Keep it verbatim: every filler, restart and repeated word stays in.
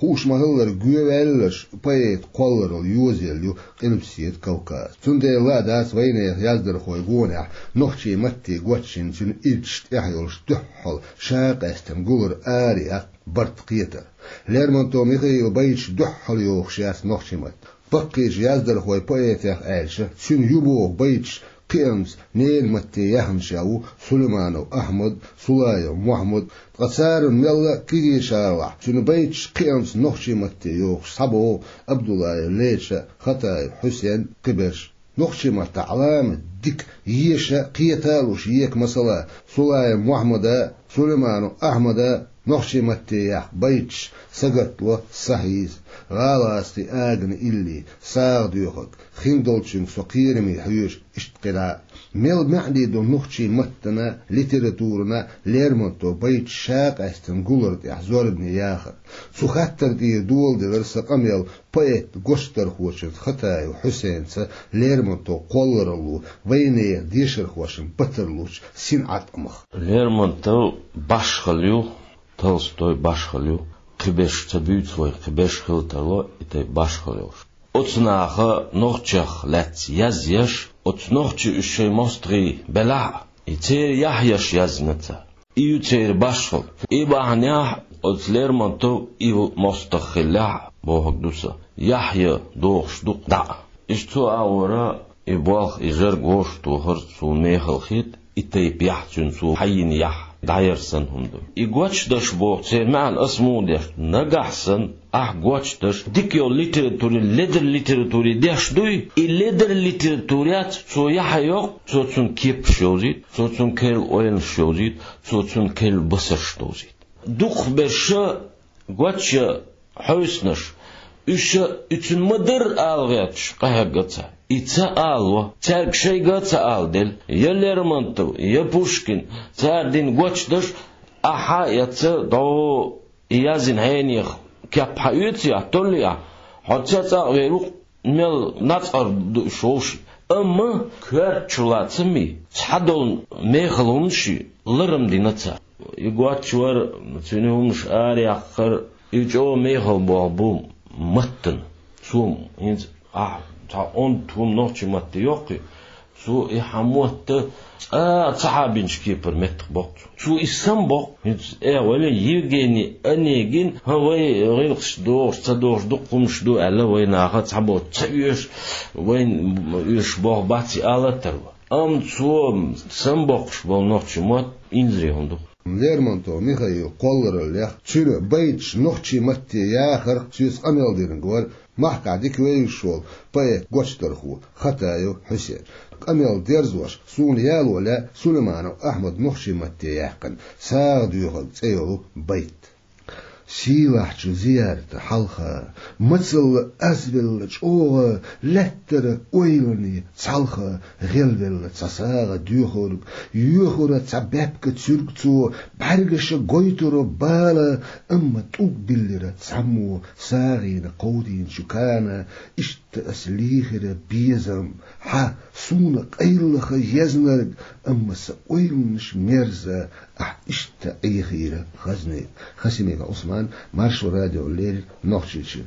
Хууш ма-хиллара, гоьваьлларш поэта кхолларалла йозаелла ю Къилбаседа Кавказ. Цундела а дац вайнехан яздархойн гонахь нохчийн матте гочйина цуьнан ирчашна тӀехь йолуш дуьххьал шакъаьстина гулар, араяккха, барт кхетар. Лермонтов Михаила байташ дуьххьал йохуш яц нохчийн матте. Баккхийчу яздархойн поэтех аьлча, цуьнан ю боху байташ кхиамца ненан матте яьхначех ву Сулайманов Ахьмад, Сулаев Мохьмад, ткъа царна мелла а кегийчаралахь, цуьнан байташ кхиамца нохчийн матте йохуш схьабогӀу Абдуллаев Леча, Хатаев Хьусен, кхиберш. Нохчийн маттахь Ӏаламат дика еша а, кхета а лууш ека, масала, Сулаев Мохьмада, Сулайманов Ахьмада нохчийн матте яьккха байташ сагатло, сахьийза: «ГӀалгӀазкхийн агана илли, сагӀа доьхург, хин долчуьнга со кхераме хьоьжу», иштта кхидӀа а. Мел маьӀне ду нохчийн маттана, литературана Лермонтовн байташ шакъаьстина гулар тӀехь зорбане яхар. Цу хаттар тӀера доладелира сан къамел поэтан гочдархочуьнца Хатаев Хьусенца Лермонтов кхолларалло вайнехан дешархошна батарлучу синӀаткъамах. Лермонтов башхалла ю, Толстой башхалла ю, кхиберш ца буьйцу вай, кхиберш хила тарло и тайпа башхалла йолуш. Оцу наха нохчех лаьцна язъеш, оцу нохчийн уьш шайн мостагӀий белахь а, и церан яхь еш яздина цара. И ю церан башхалла. И бахьанехь оцу Лермонтов и мостагӀ хиллехь а, бохург ду сан, яхь ян дохуш ду-кх дӀа а. Иштта цо агӀора и болх, и жург вовшахтохар цо мехала хета, и тайпа яхь цуьнан цо хьайина яхь дӀаяр санна хӀума ду. И гочдаш боху церан маьӀна ас муха деш ду? Нагахь санна ахь гочдаш дика йолу литературе, ледара литературе деш дуй? И ледара литературе яц, цо яхь ян йоккху, цо цунна кепаш йовзийта, цо цунна керла ойланаш йовзийта, цо цунна керла басарш довзийта. Дукхахберш а гочйа хьовсанаш, уьш а и цуьнан ма-дарра ала гӀерташ къахьегна цара. И ца алаво, цаьрга шайга а ца аладелла, я Лермонтов, я Пушкин, цара дина гочдаш, ахьа а эцна, дӀо и язйина хьенех кеп хьаоьций ахь, толлий ахь, хьо цецӀа а вер ву-кх, мел нацкъара ду уьш вовшийн. Амма коьртачула ца ма, цхьадолу мехала хӀуманаш ларам дина цара. И гочвар, цуьнан хӀуманаш араяккхар, и чӀогӀа мехала болх бу маттана. Цо хӀинца ахь цхьа онда хӀума нохчийн матте йоккхуй, цо и хьан мотт цкъа а ца хьабинчу кепара меттах боккху цо. Цо и самабоккху. ХӀинца э, вай Евгений Онегин, хӀан, вай гӀиллакхаш дохуш, ца дохуш дукха хӀуманаш ду аьлла, вай наха цхьаболчу ца оьшу, вайна оьшуш болх бац и ала а тарло. Амма цо самабоккхуш болу нохчийн мотт инзаре хӀума ду. Лермонтов Михаила кхоллараллех, цуьнан байташ нохчийн матте яхарх соьца къамел динарг вара махкахь дика вевзаш волу поэтан гочдархо Хатаев Хьусен. Къамел дерзош, суна яло лаьа Сулайманов Ахьмадан нохчийн матте яьккхина «СагӀа доьхург» цӀе йолу байт. Сийлахьчу зиярта хьалха, мацалла азвелла чӀогӀа, лаьттара ойланийн цхьалха гӀелвелла цхьа сагӀа доьхург, йоьхура цхьа баьпкан цуьрг цо, бӀаьргаша гойтура бала, амма тӀулг биллира цхьаммо сагӀина кховдийначу кана. Иштта ас лийхира безам, хьан суна къайлаха езнарг, амма сан ойланаш мерза, ахь иштта Ӏехийра хазне. Хасимиков Ӏусман, Маршо радиона леррина, Нохчийчоь.